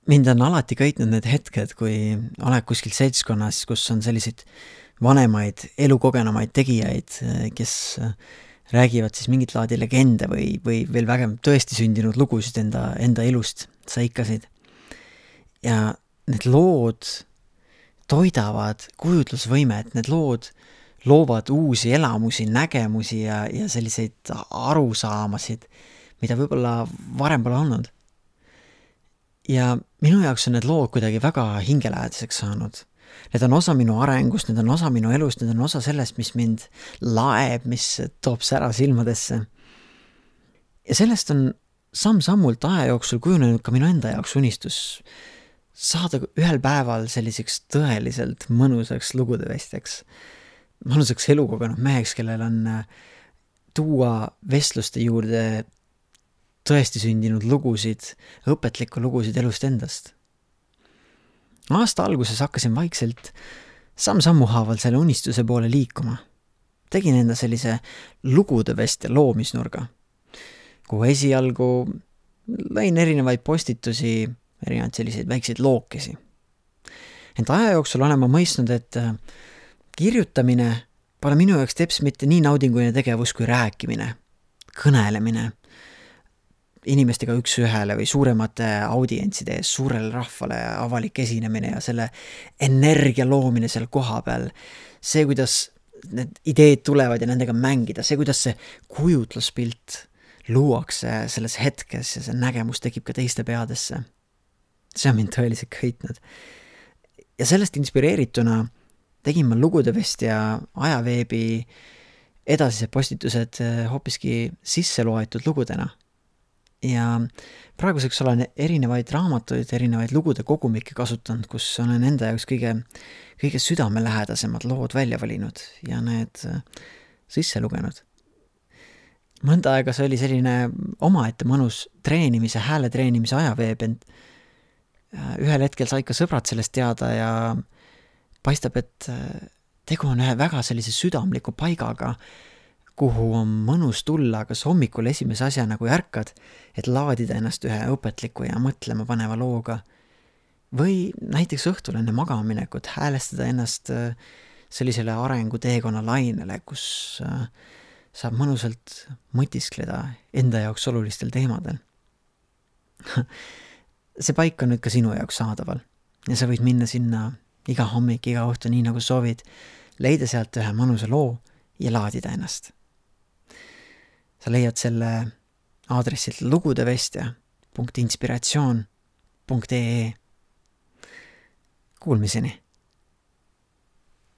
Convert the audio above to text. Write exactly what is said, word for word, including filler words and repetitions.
mind on alati köitnud need hetked, kui oled kuskil seltskonnas, kus on selliseid vanemaid, elukogenumaid tegijaid, kes räägivad siis mingit laadi legende või, või veel vägem tõesti sündinud lugusid enda, enda elust, saikasid. Ja need lood toidavad kujutlusvõimet, need lood loovad uusi elamusi, nägemusi ja, ja selliseid arusaamasid, mida võib-olla varem pole olnud. Ja minu jaoks on need lood kuidagi väga hingelähedaseks saanud. Need on osa minu arengust, need on osa minu elust, need on osa sellest, mis mind laeb, mis toob sära silmadesse. Ja sellest on samm-sammult aja jooksul kujunenud ka minu enda jaoks unistus saada ühel päeval selliseks tõeliselt mõnusaks lugudevestjaks, mõnusaks elukogenud meheks, kellel on tuua vestluste juurde tõesti sündinud lugusid, õpetlikku lugusid elust endast. Aasta alguses hakkasin vaikselt samm-sammu haaval selle unistuse poole liikuma. Tegin enda sellise lugudevestja loomisnurga, kuhu esialgu lõin erinevaid postitusi, erinevaid selliseid väikseid lookesi. Ent aja jooksul olen ma mõistnud, et kirjutamine pole minu jaoks teps mitte nii naudinguline tegevus kui rääkimine, kõnelemine, inimestega üks ühele või suuremate audientside ees, suurele rahvale avalik esinemine ja selle energia loomine seal koha peal. See, kuidas need ideed tulevad ja nendega mängida, see, kuidas see kujutluspilt luuakse selles hetkes ja see nägemus tekib ka teiste peadesse. See on mind tõeliselt köitnud. Ja sellest inspireerituna tegin ma lugudevestja ajaveebi edasised postitused hoopiski sisse loetud lugudena. Ja praeguseks olen erinevaid raamatuid, erinevaid lugude kogumikke kasutanud, kus olen enda jaoks kõige, kõige südamelähedasemad lood välja valinud ja need sisse lugenud. Mõnda aega see oli selline omaette mõnus treenimise, hääle treenimise ajaveeb, ent ühel hetkel sai ka sõbrad sellest teada ja paistab, et tegu on ühe väga sellise südamliku paigaga, kuhu on mõnus tulla kas hommikul esimese asja nagu ärkad, et laadida ennast ühe õpetliku ja mõtlema paneva looga. Või näiteks õhtul enne magamaminekut häälestada ennast sellisele arengu teekonna lainele, kus saab mõnusalt mõtiskleda enda jaoks olulistel teemadel. See paik on nüüd ka sinu jaoks saadaval ja sa võid minna sinna iga hommik, iga õhtu nii nagu soovid, leida sealt ühe mõnusa loo ja laadida ennast. Sa leiad selle aadressilt lugudevestja punkt inspiratsioon punkt ee. Kuulmiseni!